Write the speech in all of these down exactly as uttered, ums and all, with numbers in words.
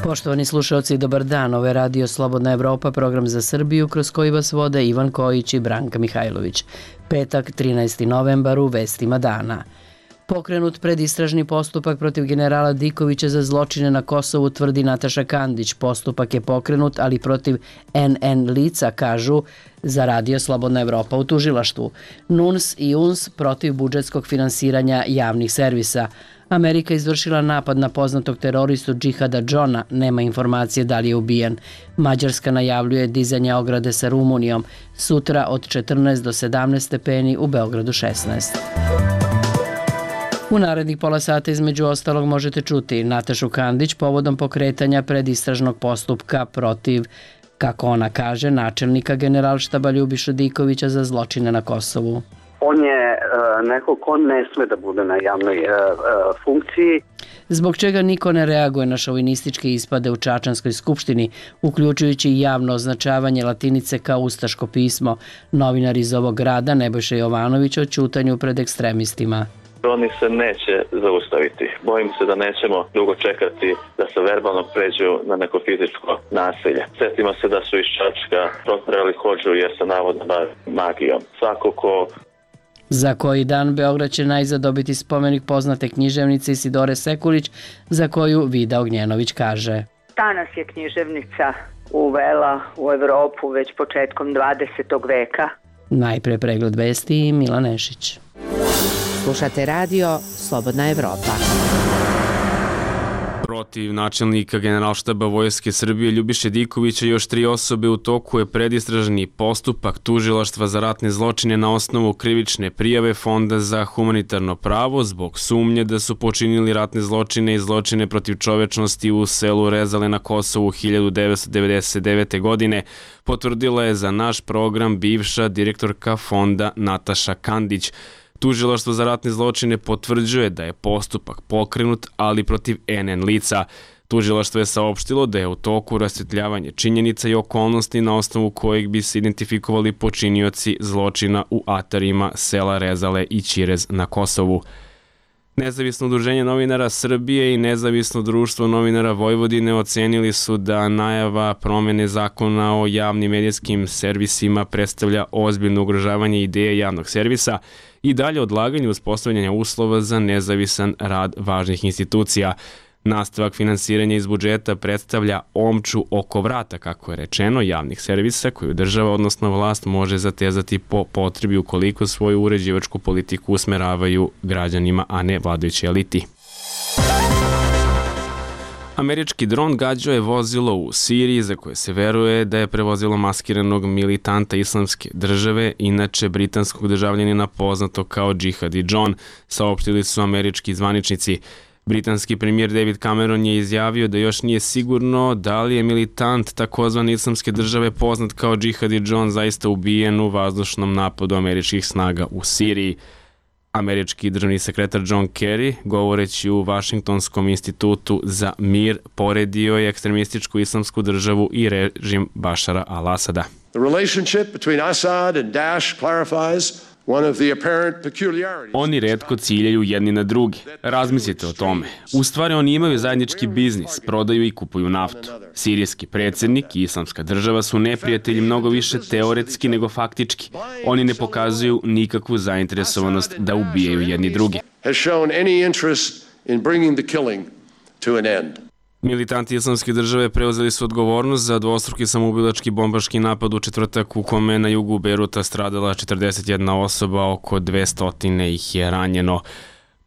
Poštovani slušalci, dobar dan. Ovo je Radio Slobodna Evropa, program za Srbiju kroz koji vas vode Ivan Kojić i Branka Mihajlović. Petak, trinaesti novembar, u vestima dana. Pokrenut predistražni postupak protiv generala Dikovića za zločine na Kosovu, tvrdi Nataša Kandić. Postupak je pokrenut, ali protiv en en lica, kažu za Radio Slobodna Evropa u tužilaštvu. N U N S i U N S protiv budžetskog finansiranja javnih servisa. Amerika izvršila napad na poznatog teroristu Džihada Džona, nema informacije da li je ubijen. Mađarska najavljuje dizanje ograde sa Rumunijom, sutra od četrnaest do sedamnaest stepeni, u Beogradu šesnaest. U narednih pola sata između ostalog možete čuti Natašu Kandić povodom pokretanja predistražnog postupka protiv, kako ona kaže, načelnika Generalštaba Ljubiše Dikovića za zločine na Kosovu. On je uh, neko ko ne sme da bude na javnoj uh, uh, funkciji. Zbog čega niko ne reaguje na šovinističke ispade u Čačanskoj skupštini, uključujući i javno označavanje latinice kao ustaško pismo. Novinar iz ovog grada Nebojša Jovanović o ćutanju pred ekstremistima. Oni se neće zaustaviti. Bojim se da nećemo dugo čekati da se verbalno pređu na neko fizičko nasilje. Sjetimo se da su iz Čačka proterali Hodžu jer se navodno bavi magijom. Svako ko Za koji dan Beograd će najzad dobiti spomenik poznate književnice Isidore Sekulić, za koju Vida Ognjenović kaže: Ta nas je književnica uvela u Evropu već početkom dvadesetog veka. Najpre pregled vesti i Milan Nešić. Slušate radio Slobodna Evropa. Protiv načelnika Generalštaba Vojske Srbije Ljubiše Dikovića još tri osobe u toku je predistražni postupak tužilaštva za ratne zločine na osnovu krivične prijave Fonda za humanitarno pravo zbog sumnje da su počinili ratne zločine i zločine protiv čovečnosti u selu Rezale na Kosovu hiljadu devetsto devedeset devete. godine, potvrdila je za naš program bivša direktorka Fonda Nataša Kandić. Tužilaštvo za ratne zločine potvrđuje da je postupak pokrenut, ali protiv en en lica. Tužilaštvo je saopštilo da je u toku rasvetljavanje činjenica i okolnosti na osnovu kojeg bi se identifikovali počinioci zločina u atarima sela Rezale i Ćirez na Kosovu. Nezavisno udruženje novinara Srbije i Nezavisno društvo novinara Vojvodine ocenili su da najava promene zakona o javnim medijskim servisima predstavlja ozbiljno ugrožavanje ideje javnog servisa i dalje odlaganje uspostavljanja uslova za nezavisan rad važnih institucija. Nastavak finansiranja iz budžeta predstavlja omču oko vrata, kako je rečeno, javnih servisa koju država, odnosno vlast, može zatezati po potrebi ukoliko svoju uređivačku politiku usmeravaju građanima, a ne vladajući eliti. Američki dron gađao je vozilo u Siriji za koje se veruje da je prevozilo maskiranog militanta Islamske države, inače britanskog državljanina poznatog kao Džihadi Džon, saopštili su američki zvaničnici. Britanski premijer David Cameron je izjavio da još nije sigurno da li je militant takozvane Islamske države poznat kao Džihadi Džon zaista ubijen u vazdušnom napadu američkih snaga u Siriji. Američki državni sekretar John Kerry, govoreći u Vašingtonskom institutu za mir, poredio je ekstremističku Islamsku državu i režim Bašara al-Asada. The relationship between Assad and Daesh clarifies Oni retko ciljaju jedni na drugi. Razmislite o tome. U stvari oni imaju zajednički biznis, prodaju i kupuju naftu. Sirijski predsjednik i Islamska država su neprijatelji mnogo više teoretski nego faktički. Oni ne pokazuju nikakvu zainteresovanost da ubijaju jedni drugi. Militanti Islamske države preuzeli su odgovornost za dvostruki samoubilački bombaški napad u četvrtak u kome na jugu Bejruta stradala četrdeset jedna osoba, oko dvesta ih je ranjeno.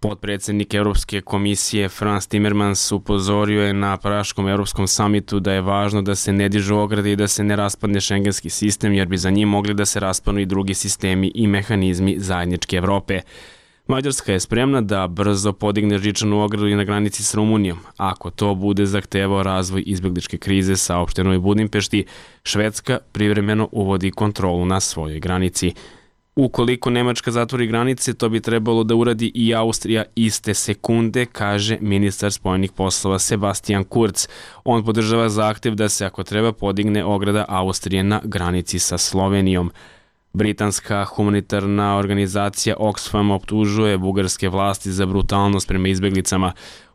Potpredsjednik Europske komisije Frans Timmermans upozorio je na Praškom europskom samitu da je važno da se ne dižu ograde i da se ne raspadne šengenski sistem, jer bi za njim mogli da se raspanu i drugi sistemi i mehanizmi zajedničke Evrope. Mađarska je spremna da brzo podigne žičanu ogradu i na granici s Rumunijom. Ako to bude zahtevao razvoj izbegličke krize, saopšteno je Budimpešti, Švedska privremeno uvodi kontrolu na svojoj granici. Ukoliko Nemačka zatvori granice, to bi trebalo da uradi i Austrija iste sekunde, kaže ministar spoljnih poslova Sebastian Kurz. On podržava zahtev da se, ako treba, podigne ograda Austrije na granici sa Slovenijom. Britanska humanitarna organizacija Oxfam optužuje bugarske vlasti za brutalnost prema izbeglicama.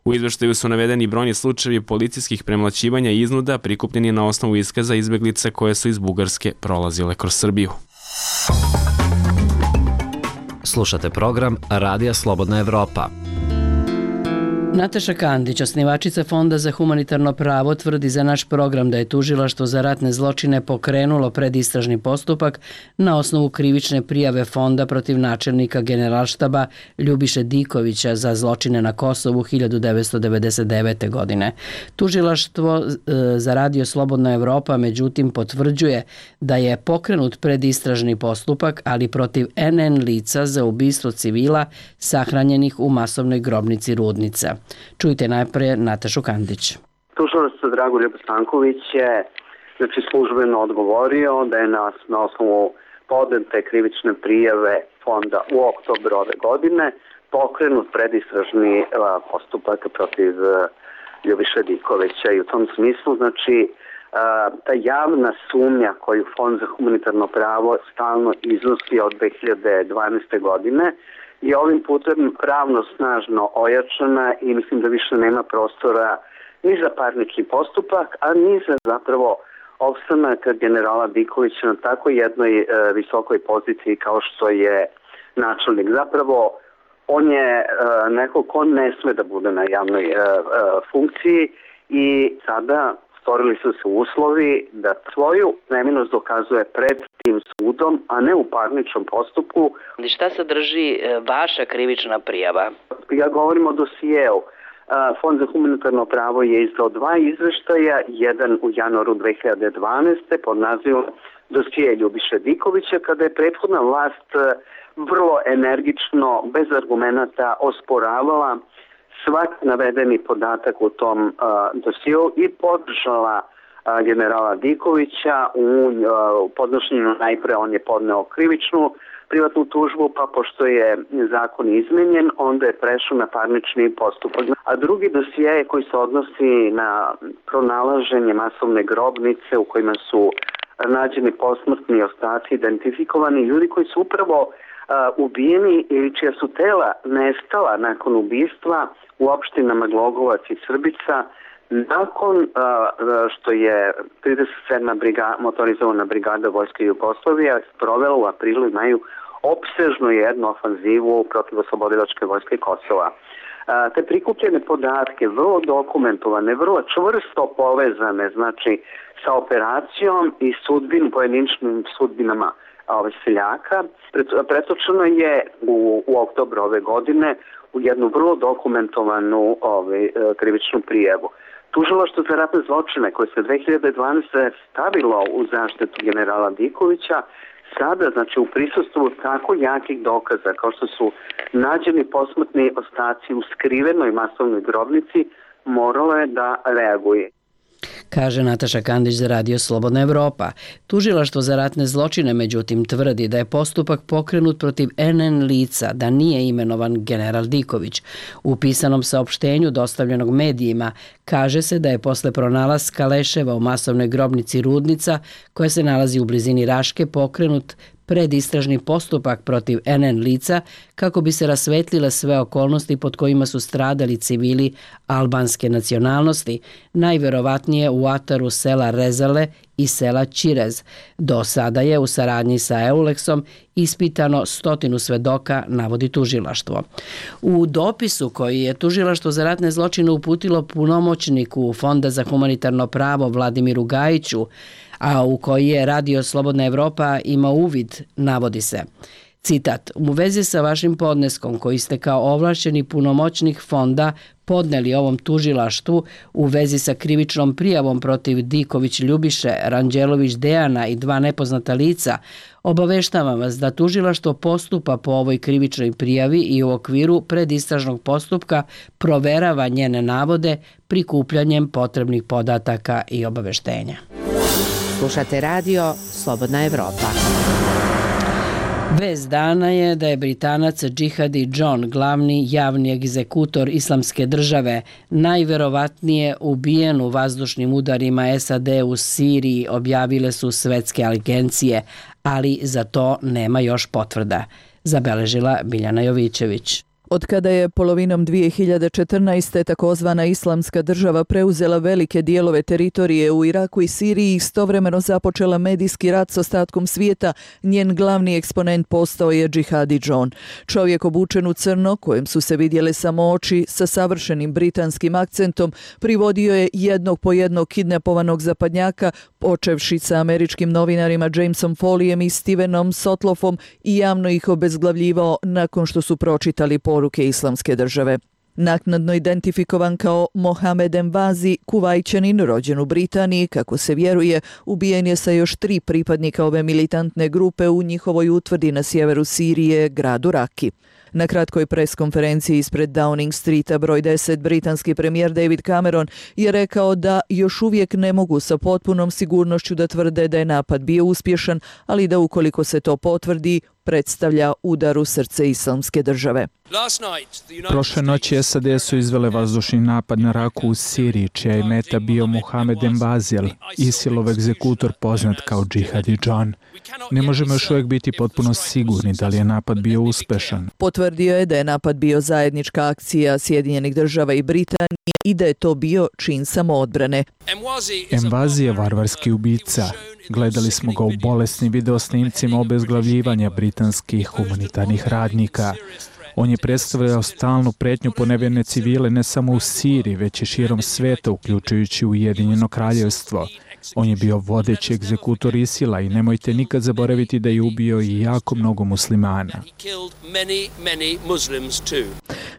U izveštaju su navedeni brojni slučajevi policijskih premlaćivanja i iznuda prikupljeni na osnovu iskaza izbeglice koje su iz Bugarske prolazile kroz Srbiju. Slušate program Radija Slobodna Evropa. Nataša Kandić, osnivačica Fonda za humanitarno pravo, tvrdi za naš program da je Tužilaštvo za ratne zločine pokrenulo predistražni postupak na osnovu krivične prijave Fonda protiv načelnika Generalštaba Ljubiše Dikovića za zločine na Kosovu hiljadu devetsto devedeset devete. godine. Tužilaštvo za Radio Slobodna Evropa međutim potvrđuje da je pokrenut predistražni postupak, ali protiv en en lica za ubistvo civila sahranjenih u masovnoj grobnici Rudnica. Čujte najpre Natašu Kandić. Tužilac Dragoljub Stanković je znači, službeno odgovorio da je na, na osnovu podnete krivične prijave Fonda u oktobru ove godine pokrenut predistražni a, postupak protiv a, Ljubiše Dikovića i u tom smislu znači a, ta javna sumnja koju Fond za humanitarno pravo stalno iznosi od dve hiljade dvanaeste. godine je ovim putem pravno snažno ojačana i mislim da više nema prostora ni za parnični postupak, a ni za zapravo opstanak generala Dikovića na tako jednoj e, visokoj poziciji kao što je načelnik. Zapravo on je e, neko ko ne sme da bude na javnoj e, e, funkciji i sada stvorili su se uslovi da svoju neminost dokazuje pred tim sudom, a ne u parničnom postupku. Šta sadrži vaša krivična prijava? Ja govorim o dosijeu. Fond za humanitarno pravo je izdao dva izveštaja, jedan u januaru dve hiljade dvanaeste. pod nazivom dosije Ljubiše Dikovića, kada je prethodna vlast vrlo energično, bez argumenata osporavala svaki navedeni podatak u tom uh, dosiju i podržala uh, generala Dikovića u uh, podnošenju. Najpre on je podneo krivičnu privatnu tužbu, pa pošto je zakon izmenjen, onda je prešao na parnični postupak. A drugi dosije koji se odnosi na pronalaženje masovne grobnice u kojima su nađeni posmrtni ostaci, identifikovani ljudi koji su upravo Uh, ubijeni ili čija su tela nestala nakon ubistva u opštinama Glogovac i Srbica nakon uh, što je trideset sedma briga, motorizovana brigada Vojske Jugoslavije sprovela u aprilu i maju opsežnu jednu ofanzivu protiv oslobodilačke vojske Kosova. Uh, te prikupljene podatke, vrlo dokumentovane, vrlo čvrsto povezane, znači sa operacijom i sudbin, pojedinačnim sudbinama ove seljaka, pretočeno je u, u oktobru ove godine u jednu vrlo dokumentovanu ove, krivičnu prijavu. Tužilaštvo za ratne zločine koje se dve hiljade dvanaeste. stavilo u zaštitu generala Dikovića, sada, znači u prisustvu tako jakih dokaza kao što su nađeni posmrtni ostaci u skrivenoj masovnoj grobnici, moralo je da reaguje. Kaže Nataša Kandić za Radio Slobodna Evropa. Tužilaštvo za ratne zločine međutim tvrdi da je postupak pokrenut protiv en en lica, da nije imenovan general Diković. U pisanom saopštenju dostavljenog medijima kaže se da je posle pronalaska leševa u masovnoj grobnici Rudnica, koja se nalazi u blizini Raške, pokrenut predistražni postupak protiv en en lica kako bi se rasvetlile sve okolnosti pod kojima su stradali civili albanske nacionalnosti, najverovatnije u ataru sela Rezale i sela Čirez. Do sada je u saradnji sa Euleksom ispitano stotinu svedoka, navodi tužilaštvo. U dopisu koji je Tužilaštvo za ratne zločine uputilo punomoćniku Fonda za humanitarno pravo Vladimiru Gajiću, a u koji je Radio Slobodna Evropa ima uvid, navodi se. Citat, u vezi sa vašim podneskom koji ste kao ovlašćeni punomoćnik fonda podneli ovom tužilaštvu u vezi sa krivičnom prijavom protiv Diković Ljubiše, Ranđelović Dejana i dva nepoznata lica, obaveštavam vas da tužilaštvo postupa po ovoj krivičnoj prijavi i u okviru predistražnog postupka proverava njene navode prikupljanjem potrebnih podataka i obaveštenja. Slušate radio Slobodna Evropa. Vest dana je da je Britanac Džihadi John, glavni javni egzekutor Islamske države, najverovatnije ubijen u vazdušnim udarima es a de u Siriji, objavile su svetske agencije, ali za to nema još potvrda, zabeležila Biljana Jovićević. Od kada je polovinom dvije hiljade četrnaeste. takozvana Islamska država preuzela velike dijelove teritorije u Iraku i Siriji i istovremeno započela medijski rat s ostatkom svijeta, njen glavni eksponent postao je Džihadi John. Čovjek obučen u crno, kojem su se vidjele samo oči, sa savršenim britanskim akcentom, privodio je jednog po jednog kidnapovanog zapadnjaka, počevši sa američkim novinarima Jamesom Foleyem i Stevenom Sotloffom, i javno ih obezglavljivao nakon što su pročitali poruke Islamske države. Naknadno identifikovan kao Mohamed Envazi, Kuvajćanin rođen u Britaniji, kako se vjeruje, ubijen je sa još tri pripadnika ove militantne grupe u njihovoj utvrdi na sjeveru Sirije, gradu Raki. Na kratkoj preskonferenciji ispred Downing Streeta broj deset, britanski premijer David Cameron je rekao da još uvijek ne mogu sa potpunom sigurnošću da tvrde da je napad bio uspješan, ali da ukoliko se to potvrdi, predstavlja udar u srce Islamske države. Prošle noći S A D su izvele vazdušni napad na Raku u Siriji, čija je meta bio Mohamed Envazi, ISIL-ov egzekutor poznat kao Džihadi John. Ne možemo još uvijek biti potpuno sigurni da li je napad bio uspešan. Potvrdio je da je napad bio zajednička akcija Sjedinjenih država i Britanije i da je to bio čin samoodbrane. Envazi je varvarski ubica. Gledali smo ga u bolesnim videosnimcima obezglavljivanja britanskih humanitarnih radnika. On je predstavljao stalnu pretnju po nevjerne civile ne samo u Siriji, već i širom sveta, uključujući Ujedinjeno kraljevstvo. On je bio vodeći egzekutor ISIL-a i nemojte nikad zaboraviti da je ubio i jako mnogo muslimana.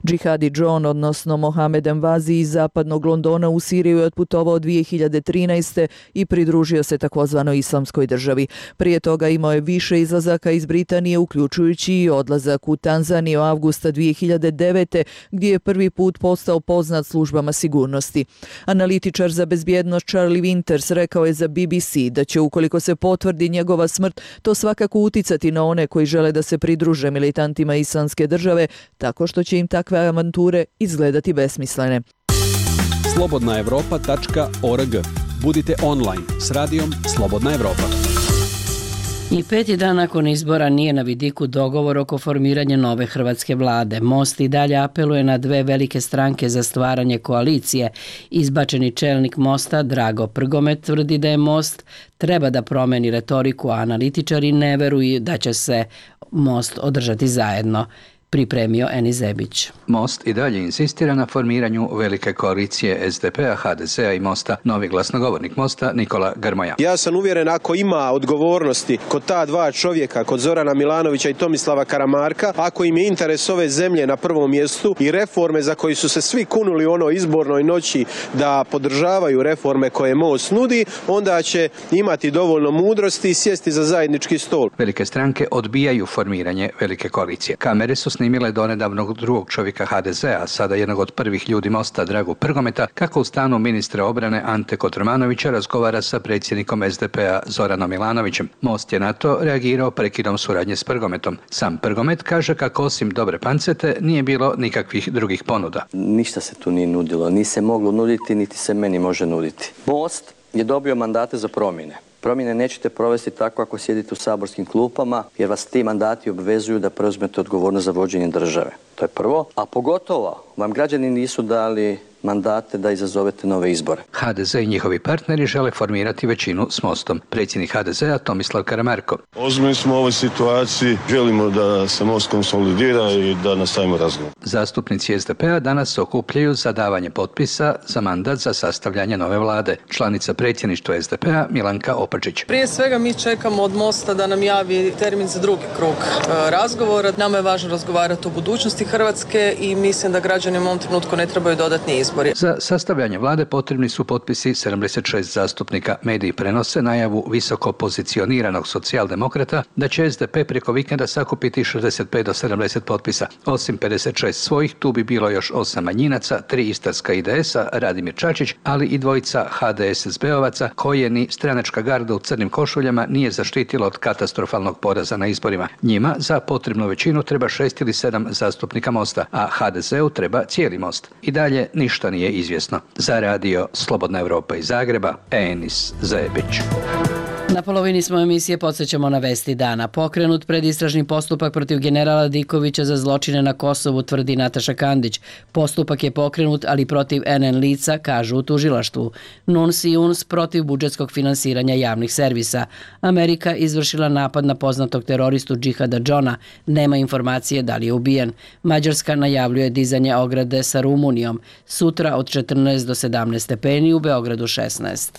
Džihadi John, odnosno Mohamed Envazi iz zapadnog Londona u Siriju je otputovao dvije hiljade trinaeste. i pridružio se takozvanoj Islamskoj državi. Prije toga imao je više izlazaka iz Britanije, uključujući i odlazak u Tanzaniju avgusta dvije hiljade devete. gdje je prvi put postao poznat službama sigurnosti. Analitičar za bezbjednost Charlie Winters rekao je za B B C da će, ukoliko se potvrdi njegova smrt, to svakako uticati na one koji žele da se pridruže militantima Islamske države, tako što će im takve avanture izgledati besmislene. slobodna evropa tačka org. Budite online s radijom Slobodna Evropa. I peti dan nakon izbora nije na vidiku dogovor oko formiranja nove hrvatske vlade. Most i dalje apeluje na dve velike stranke za stvaranje koalicije. Izbačeni čelnik Mosta, Drago Prgomet, tvrdi da je Most treba da promeni retoriku, a analitičari ne veruju da će se Most održati zajedno. Pripremio Eni Zebić. Most i dalje insistira na formiranju velike koalicije S D P-a, H D Z-a i Mosta. Novi glasnogovornik Mosta, Nikola Grmoja. Ja sam uvjeren, ako ima odgovornosti kod ta dva čovjeka, kod Zorana Milanovića i Tomislava Karamarka, ako im je interes ove zemlje na prvom mjestu i reforme za koji su se svi kunuli u onoj izbornoj noći da podržavaju reforme koje Most nudi, onda će imati dovoljno mudrosti i sjesti za zajednički stol. Velike stranke odbijaju formiranje velike koalicije. Kamere su snimile donedavnog drugog čovjeka H D Z-a, sada jednog od prvih ljudi Mosta, Dragu Prgometa, kako u stanu ministra obrane Ante Kotromanovića razgovara sa predsjednikom S D P-a Zoranom Milanovićem. Most je na to reagirao prekidom suradnje s Prgometom. Sam Prgomet kaže kako osim dobre pancete nije bilo nikakvih drugih ponuda. Ništa se tu nije nudilo, ni se moglo nuditi, niti se meni može nuditi. Most je dobio mandate za promjene. Promjene nećete provesti tako ako sjedite u saborskim klupama, jer vas ti mandati obvezuju da preuzmete odgovornost za vođenje države. To je prvo. A pogotovo vam građani nisu dali mandate da izazovete nove izbore. H D Z i njihovi partneri žele formirati većinu s Mostom. Predsjednik H D Z-a Tomislav Karamarko. Ozbiljni smo u ovoj situaciji, želimo da se Most konsolidira i da nastavimo razgovor. Zastupnici S D P-a danas se okupljaju za davanje potpisa za mandat za sastavljanje nove vlade. Članica predsjedništva S D P-a Milanka Opačić. Prije svega mi čekamo od Mosta da nam javi termin za drugi krug e, razgovora. Nama je važno razgovarati o budućnosti Hrvatske i mislim da građani u ovom trenutku ne trebaju dodatni izbori. Za sastavljanje vlade potrebni su potpisi sedamdeset šest zastupnika. Mediji prenose najavu visoko pozicioniranog socijaldemokrata da će S D P preko vikenda sakupiti šezdeset pet do sedamdeset potpisa. Osim pedeset šest svojih, tu bi bilo još osam manjinaca, tri istarska I D S-a, Radimir Čačić, ali i dvojica H D S S B-ovaca koje ni stranačka garda u crnim košuljama nije zaštitila od katastrofalnog poraza na izborima. Njima za potrebnu većinu treba šest ili sedam zastupnika Mosta, a H D Z-u treba cijeli Most. I dalje ništa nije izvjesno. Za radio Slobodna Evropa iz Zagreba, Enis Zebić. Na polovini smo emisije, podsjećamo na vesti dana. Pokrenut predistražni postupak protiv generala Dikovića za zločine na Kosovu, tvrdi Nataša Kandić. Postupak je pokrenut, ali protiv en en lica, kažu u tužilaštvu. Nuns i Uns protiv budžetskog finansiranja javnih servisa. Amerika izvršila napad na poznatog teroristu Džihada Džona. Nema informacije da li je ubijen. Mađarska najavljuje dizanje ograde sa Rumunijom. Sutra od četrnaest do sedamnaest stepeni, u Beogradu šesnaest.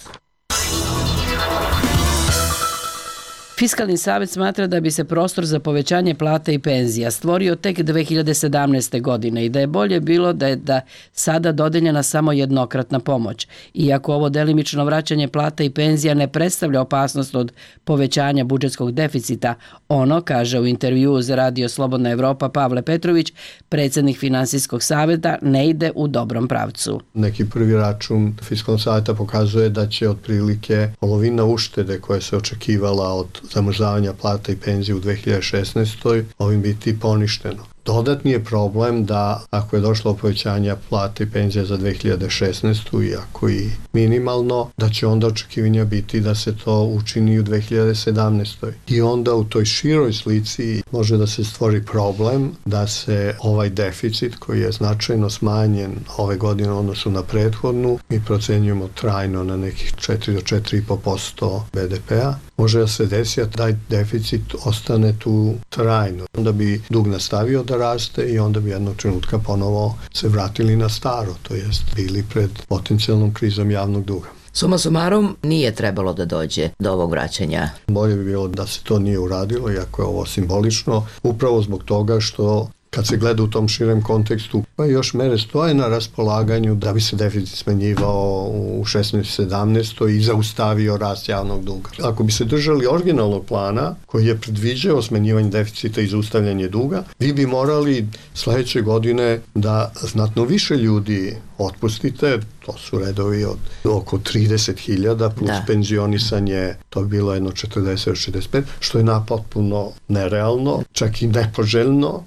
Fiskalni savjet smatra da bi se prostor za povećanje plata i penzija stvorio tek dve hiljade sedamnaeste. godine i da je bolje bilo da je da sada dodeljena samo jednokratna pomoć. Iako ovo delimično vraćanje plata i penzija ne predstavlja opasnost od povećanja budžetskog deficita, ono, kaže u intervjuu za Radio Slobodna Evropa Pavle Petrović, predsjednik Finansijskog savjeta, ne ide u dobrom pravcu. Neki prvi račun Fiskalnog savjeta pokazuje da će otprilike polovina uštede koje se očekivala od zamrzavanja plata i penzije u dve hiljade šesnaestoj. ovim biti poništeno. Dodatni je problem da ako je došlo povećanja plata i penzija za dve hiljade šesnaestu. iako i minimalno, da će onda očekivanja biti da se to učini u dve hiljade sedamnaestoj. I onda u toj široj slici može da se stvori problem da se ovaj deficit koji je značajno smanjen ove godine u odnosu na prethodnu, mi procenjujemo trajno na nekih četiri do četiri i po posto be de pea, može da se desi da taj deficit ostane tu trajno. Onda bi dug nastavio da raste i onda bi jednog trenutka ponovo se vratili na staro, to jest bili pred potencijalnom krizom javnog duga. Suma sumarom, nije trebalo da dođe do ovog vraćanja. Bolje bi bilo da se to nije uradilo, iako je ovo simbolično, upravo zbog toga što kad se gleda u tom širem kontekstu, pa još mere stoje na raspolaganju da bi se deficit smanjivao u šesnaestoj sedamnaestoj i zaustavio rast javnog duga. Ako bi se držali originalnog plana koji je predviđao smanjivanje deficita i zaustavljanje duga, vi bi morali sledeće godine da znatno više ljudi otpustite, to su redovi od oko trideset hiljada plus da. Penzionisanje, to bi bilo jedno četrdeset do šezdeset pet, što je napotpuno nerealno, čak i nepoželjno.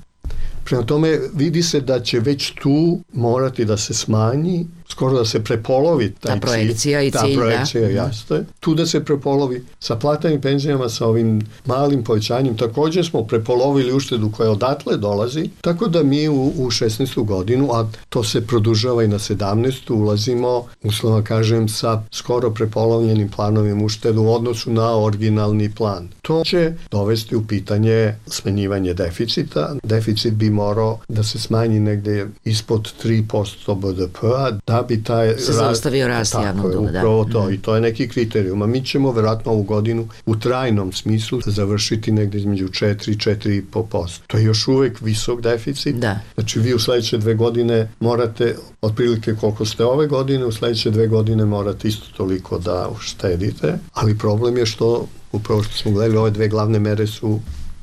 Prema tome vidi se da će već tu morati da se smanji, skoro da se prepolovi taj ta projekcija i cilj. cilj, ta projekcija, da. jasno je. Tu da se prepolovi. Sa platama i penzijama, sa ovim malim povećanjem, također smo prepolovili uštedu koja odatle dolazi, tako da mi u, u šesnaestu godinu, a to se produžava i na sedamnaestu. ulazimo, uslovno kažem, sa skoro prepolovljenim planovim uštedu u odnosu na originalni plan. To će dovesti u pitanje smanjivanje deficita. Deficit bi morao da se smanji negde ispod tri posto be de pea, da bi taj se zaustavio rast javnog duga. Upravo to, mm. i to je neki kriterijum. A mi ćemo verovatno ovu godinu u trajnom smislu završiti negde između četiri do četiri i po posto. To je još uvek visok deficit. Da. Znači vi u sledeće dve godine morate, otprilike koliko ste ove godine, u sledeće dve godine morate isto toliko da uštedite, ali problem je što, upravo što smo gledali, ove dve glavne mere su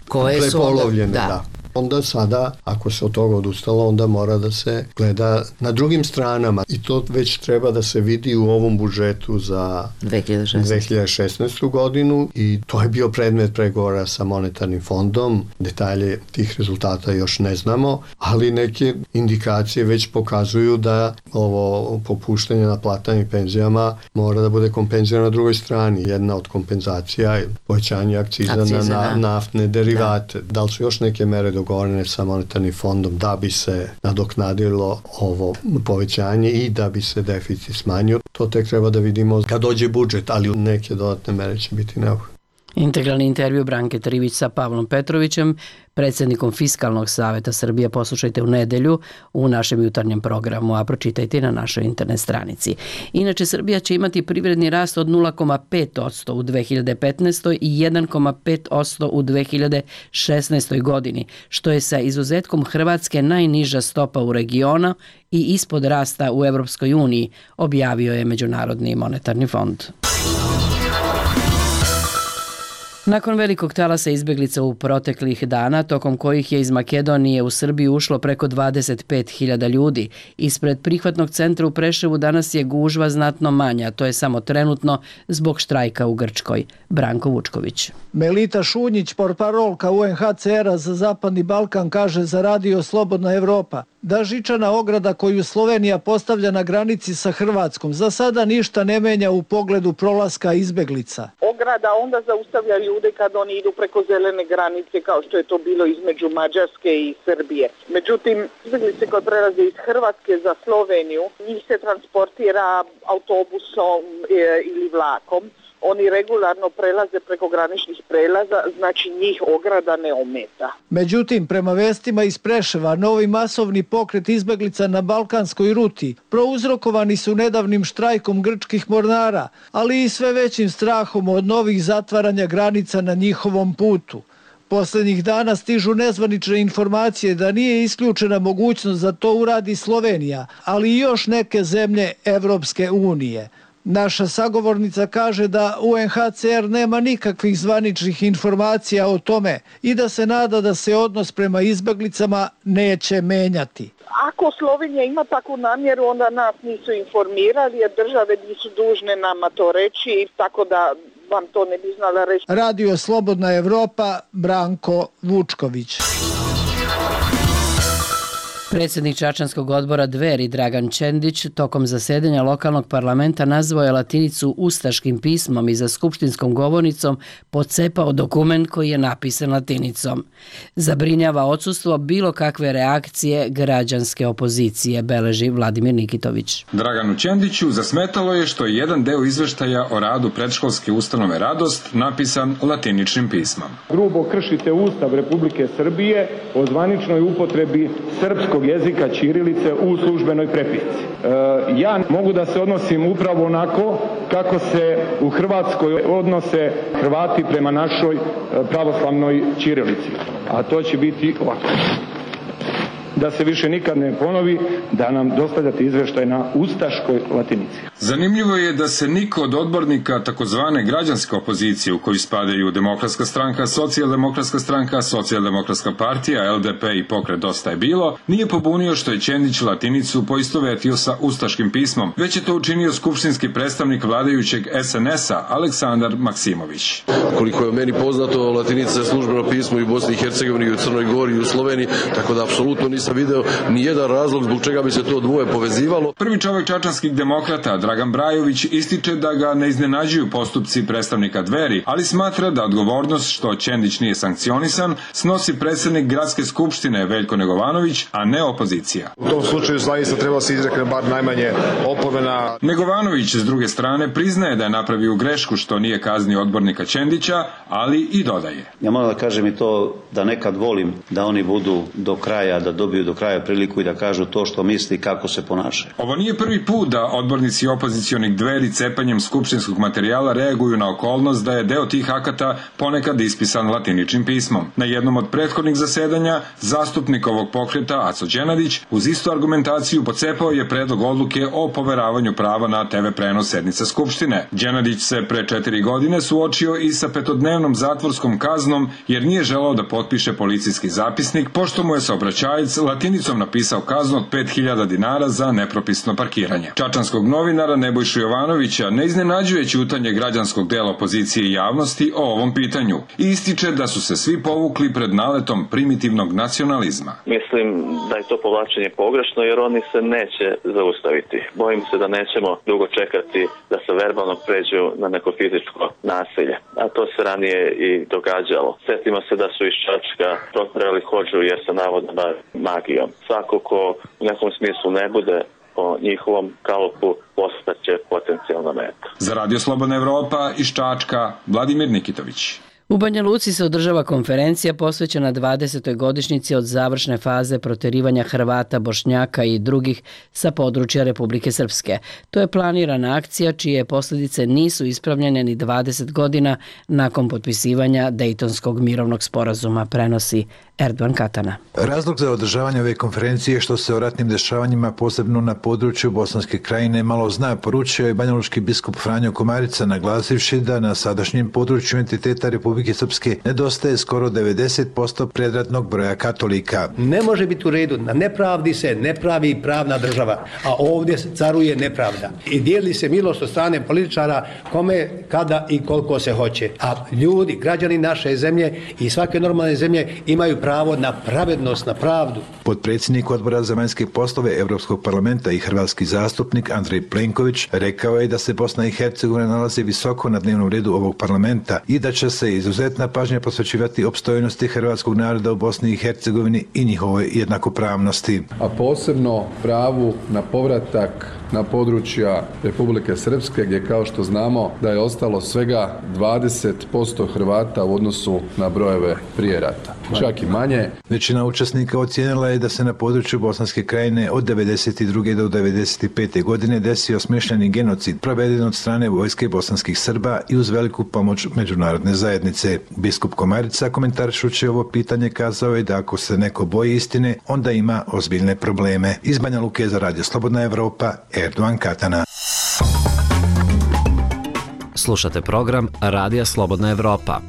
koje prepolovljene. Su onda, da. da. Onda sada, ako se od toga odustalo, onda mora da se gleda na drugim stranama i to već treba da se vidi u ovom budžetu za dve hiljade šesnaestu. godinu i to je bio predmet pregovora sa monetarnim fondom. Detalje tih rezultata još ne znamo, ali neke indikacije već pokazuju da ovo popuštanje na platama i penzijama mora da bude kompenzirano na drugoj strani. Jedna od kompenzacija je povećanje akciza, akciza na, na naftne derivate. Da. da li su još neke mere dogovorene sa monetarnim fondom da bi se nadoknadilo ovo povećanje i da bi se deficit smanjio. To tek treba da vidimo kad dođe budžet, ali neke dodatne mere će biti neophodne. Integralni intervju Branke Trivić sa Pavlom Petrovićem, predsjednikom Fiskalnog savjeta Srbije, poslušajte u nedelju u našem jutarnjem programu, a pročitajte na našoj internet stranici. Inače, Srbija će imati privredni rast od nula zarez pet posto u dve hiljade petnaestoj. i jedan zarez pet posto u dve hiljade šesnaestoj. godini, što je sa izuzetkom Hrvatske najniža stopa u regionu i ispod rasta u Evropskoj uniji, objavio je Međunarodni monetarni fond. Nakon velikog talasa izbeglica u proteklih dana, tokom kojih je iz Makedonije u Srbiju ušlo preko dvadeset pet hiljada ljudi, ispred prihvatnog centra u Preševu danas je gužva znatno manja, to je samo trenutno zbog štrajka u Grčkoj. Branko Vučković. Melita Šunjić, portparolka u en ha ce era za Zapadni Balkan, kaže za Radio Slobodna Evropa: da žičana ograda koju Slovenija postavlja na granici sa Hrvatskom za sada ništa ne menja u pogledu prolaska izbeglica. Ograda onda zaustavlja ljude kad oni idu preko zelene granice kao što je to bilo između Mađarske i Srbije. Međutim, izbeglice koje prelaze iz Hrvatske za Sloveniju, njih se transportira autobusom ili vlakom. Oni regularno prelaze preko graničnih prelaza, znači njih ograda ne ometa. Međutim, prema vestima iz Preševa, novi masovni pokret izbeglica na balkanskoj ruti prouzrokovani su nedavnim štrajkom grčkih mornara, ali i sve većim strahom od novih zatvaranja granica na njihovom putu. Poslednjih dana stižu nezvanične informacije da nije isključena mogućnost da to uradi Slovenija, ali i još neke zemlje Evropske unije. Naša sagovornica kaže da U N H C R nema nikakvih zvaničnih informacija o tome i da se nada da se odnos prema izbeglicama neće menjati. Ako Slovenija ima takvu namjeru, onda nas nisu informirali, jer države nisu dužne nama to reći, tako da vam to ne bi znala reći. Radio Slobodna Evropa, Branko Vučković. Predsjednik Čačanskog odbora Dveri Dragan Čendić tokom zasedanja lokalnog parlamenta nazvao je latinicu ustaškim pismom i za skupštinskom govornicom pocepao dokument koji je napisan latinicom. Zabrinjava odsustvo bilo kakve reakcije građanske opozicije, beleži Vladimir Nikitović. Draganu Čendiću zasmetalo je što je jedan deo izveštaja o radu predškolske ustanove Radost napisan latiničnim pismom. Grubo kršite Ustav Republike Srbije o zvaničnoj upotrebi srpskog jezika ćirilice u službenoj prepisci. E, ja mogu da se odnosim upravo onako kako se u Hrvatskoj odnose Hrvati prema našoj pravoslavnoj ćirilici. A to će biti ovako. Da se više nikad ne ponovi, da nam dostavljate izveštaj na ustaškoj latinici. Zanimljivo je da se niko od odbornika takozvane građanske opozicije u koju spadaju Demokratska stranka, Socijaldemokratska stranka, Socijaldemokratska partija, L D P i Pokret Dosta je bilo, nije pobunio što je Čendić latinicu poistovetio sa ustaškim pismom, već je to učinio skupštinski predstavnik vladajućeg S N S-a Aleksandar Maksimović. Koliko je meni poznato, latinica je službeno pismo i u Bosni i Hercegovini, i u Crnoj Gori, i u Sloveniji, tako da apsolutno nisam video ni jedan razlog zbog čega bi se to dvoje povezivalo. Prvi čovjek čačanskih demokrata, Dragan Brajović, ističe da ga ne iznenađuju postupci predstavnika Dveri, ali smatra da odgovornost što Čendić nije sankcionisan snosi predsjednik gradske skupštine Veljko Negovanović, a ne opozicija. U tom slučaju zaista treba se izrekne bar najmanje opomena. Negovanović s druge strane priznaje da je napravio grešku što nije kaznio odbornika Čendića, ali i dodaje. Ja moram da kažem i to da nekad volim da oni budu do kraja, da dobiju do kraja priliku i da kažu to što misli kako se ponašaju. Ovo nije prvi put da odbornici opozicionih Dveri cepanjem skupštinskog materijala reaguju na okolnost da je deo tih akata ponekad ispisan latiničnim pismom. Na jednom od prethodnih zasedanja zastupnik ovog pokreta Aco Đenadić uz istu argumentaciju pocepao je predlog odluke o poveravanju prava na T V prenos sednice Skupštine. Đenadić se pre četiri godine suočio i sa petodnevnom zatvorskom kaznom jer nije želeo da potpiše policijski zapisnik pošto mu je saobraćajac latinicom napisao kaznu od pet hiljada dinara za nepropisno parkiranje. Čačanskog novinara Nebojšu Jovanovića ne iznenađuje ćutanje građanskog dela opozicije i javnosti o ovom pitanju i ističe da su se svi povukli pred naletom primitivnog nacionalizma. Mislim da je to povlačenje pogrešno jer oni se neće zaustaviti. Bojim se da nećemo dugo čekati da se verbalno pređu na neko fizičko nasilje. A to se ranije i događalo. Sjetimo se da su iz Čačka protjerali hodžu jer se navodno bavi magijom. Svako ko u nekom smislu ne bude po njihovom kalupu postaće potencijalna meta. Za Radio Slobodna Evropa iz Čačka, Vladimir Nikitović. U Banja Luci se održava konferencija posvećena dvadesetoj godišnjici od završne faze proterivanja Hrvata, Bošnjaka i drugih sa područja Republike Srpske. To je planirana akcija čije posljedice nisu ispravljene ni dvadeset godina nakon potpisivanja Dejtonskog mirovnog sporazuma, prenosi Erdogan Katana. Razlog za održavanje ove konferencije je što se o ratnim dešavanjima posebno na području Bosanske krajine malo zna, poručio je banjalučki biskup Franjo Komarica, naglasivši da na sadašnjem području entiteta Republike Srpske nedostaje skoro devedeset posto predratnog broja katolika. Ne može biti u redu, na nepravdi se ne pravi pravna država, a ovdje caruje nepravda. I dijeli se milost od strane političara kome, kada i koliko se hoće. A ljudi, građani naše zemlje i svake normalne zemlje imaju pravo pravo na pravednost, na pravdu. Potpredsjednik Odbora za vanjske poslove Europskog parlamenta i hrvatski zastupnik Andrej Plenković rekao je da se Bosna i Hercegovina nalazi visoko na dnevnom redu ovog parlamenta i da će se izuzetna pažnja posvećivati opstojnosti hrvatskog naroda u Bosni i Hercegovini i njihovoj jednakopravnosti. A posebno pravu na povratak na područja Republike Srpske, gdje kao što znamo da je ostalo svega dvadeset posto Hrvata u odnosu na brojeve prije rata, čak i manje. Većina učesnika ocijenila je da se na području Bosanske krajine od devedeset druge do devedeset pete godine desio smišljeni genocid proveden od strane vojske bosanskih Srba i uz veliku pomoć međunarodne zajednice. Biskup Komarica komentarišući ovo pitanje kazao je da ako se neko boji istine, onda ima ozbiljne probleme. Iz Banja Luke za Radio Slobodna Evropa, Erdogan Katana. Slušate program Radija Slobodna Evropa.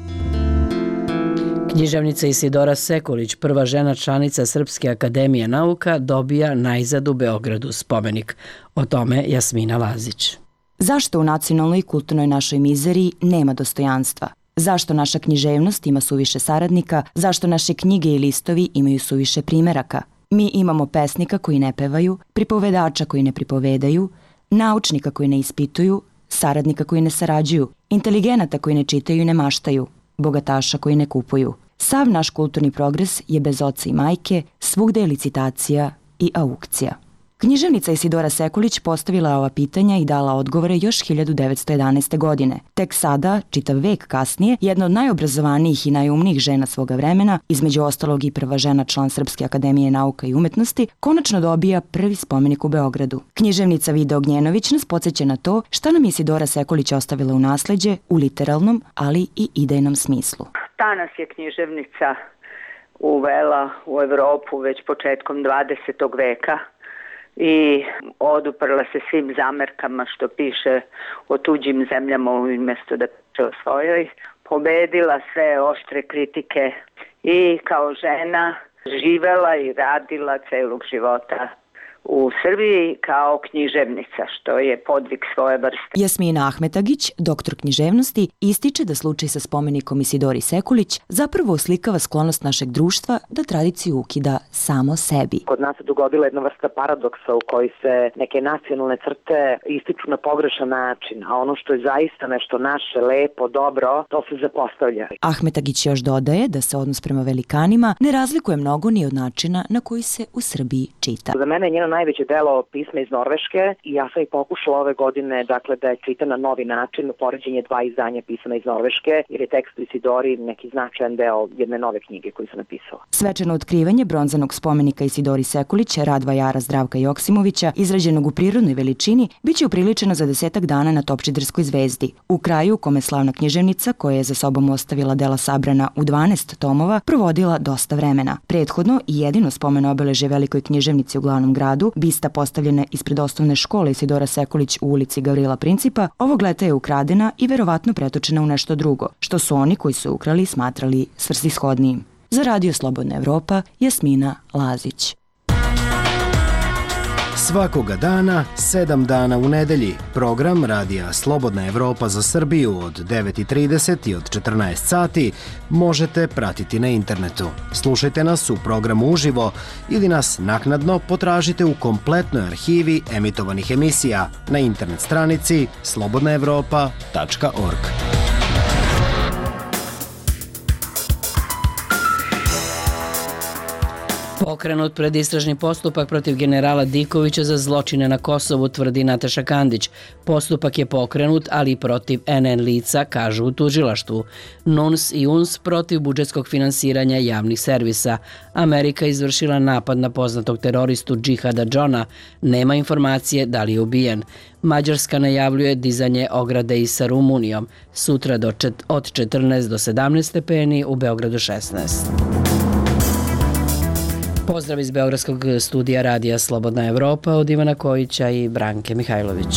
Književnica Isidora Sekulić, prva žena članica Srpske akademije nauka, dobija najzad u Beogradu spomenik. O tome Jasmina Lazić. Zašto u nacionalnoj i kulturnoj našoj mizeriji nema dostojanstva? Zašto naša književnost ima suviše saradnika? Zašto naše knjige i listovi imaju suviše primeraka? Mi imamo pesnika koji ne pevaju, pripovedača koji ne pripovedaju, naučnika koji ne ispituju, saradnika koji ne sarađuju, inteligenata koji ne čitaju i ne maštaju, bogataša koji ne kupuju. Sav naš kulturni progres je bez oca i majke, svugde je licitacija i aukcija. Književnica Isidora Sekulić postavila ova pitanja i dala odgovore još hiljadu devetsto jedanaeste. godine. Tek sada, čitav vek kasnije, jedna od najobrazovanijih i najumnijih žena svoga vremena, između ostalog i prva žena član Srpske akademije nauka i umetnosti, konačno dobija prvi spomenik u Beogradu. Književnica Vida Ognjenović nas podsjeća na to šta nam Isidora Sekulić ostavila u nasleđe u literalnom, ali i idejnom smislu. Ta nas je književnica uvela u Evropu već početkom dvadesetog veka i oduprla se svim zamerkama što piše o tuđim zemljama umjesto da piše o svojoj. Pobedila sve oštre kritike i kao žena živela i radila celog života u Srbiji kao književnica, što je podvig svoje vrste. Jasmina Ahmetagić, doktor književnosti, ističe da slučaj sa spomenikom Isidori Sekulić zapravo oslikava sklonost našeg društva da tradiciju ukida samo sebi. Kod nas se dogodila jedna vrsta paradoksa u kojoj se neke nacionalne crte ističu na pogrešan način, a ono što je zaista nešto naše, lepo, dobro, to se zapostavlja. Ahmetagić još dodaje da se odnos prema velikanima ne razlikuje mnogo ni od načina na koji se u Srbiji čita. Za mene je njeno najveće delo pisma iz Norveške i ja sam i pokušala ove godine dakle, da je čitam na novi način, poređenje dva izdanja pisama iz Norveške, jer je tekst u Isidori neki značajan deo jedne nove knjige koju sam napisala. Svečano otkrivanje bronzanog spomenika Isidori Sekulić, rad vajara Zdravka Joksimovića, izrađenog u prirodnoj veličini, biće upriličeno za desetak dana na Topčiderskoj zvezdi. U kraju, u kome slavna književnica, koja je za sobom ostavila dela sabrana u dvanaest tomova, provodila dosta vremena. Prethodno i jedino spomen obeleže velikoj književnici u glavnom gradu, bista postavljena ispred osnovne škole Isidora Sekulić u ulici Gavrila Principa, ovog leta je ukradena i verovatno pretočena u nešto drugo, što su oni koji su ukrali smatrali svrsishodnijim. Za Radio Slobodna Evropa, Jasmina Lazić. Svakoga dana, sedam dana u nedelji, program Radija Slobodna Evropa za Srbiju od devet i trideset i od četrnaest sati možete pratiti na internetu. Slušajte nas u programu uživo ili nas naknadno potražite u kompletnoj arhivi emitovanih emisija na internet stranici slobodna evropa tačka org. Pokrenut predistražni postupak protiv generala Dikovića za zločine na Kosovu, tvrdi Nataša Kandić. Postupak je pokrenut, ali i protiv en en lica, kažu u tužilaštvu. N U N S i U N S protiv budžetskog finansiranja javnih servisa. Amerika izvršila napad na poznatog teroristu Džihada Džona. Nema informacije da li je ubijen. Mađarska najavljuje dizanje ograde i sa Rumunijom. Sutra do čet, od četrnaest do sedamnaest stepeni, u Beogradu šesnaest. Pozdrav iz Beogradskog studija Radija Slobodna Evropa od Ivana Kojića i Branke Mihajlović.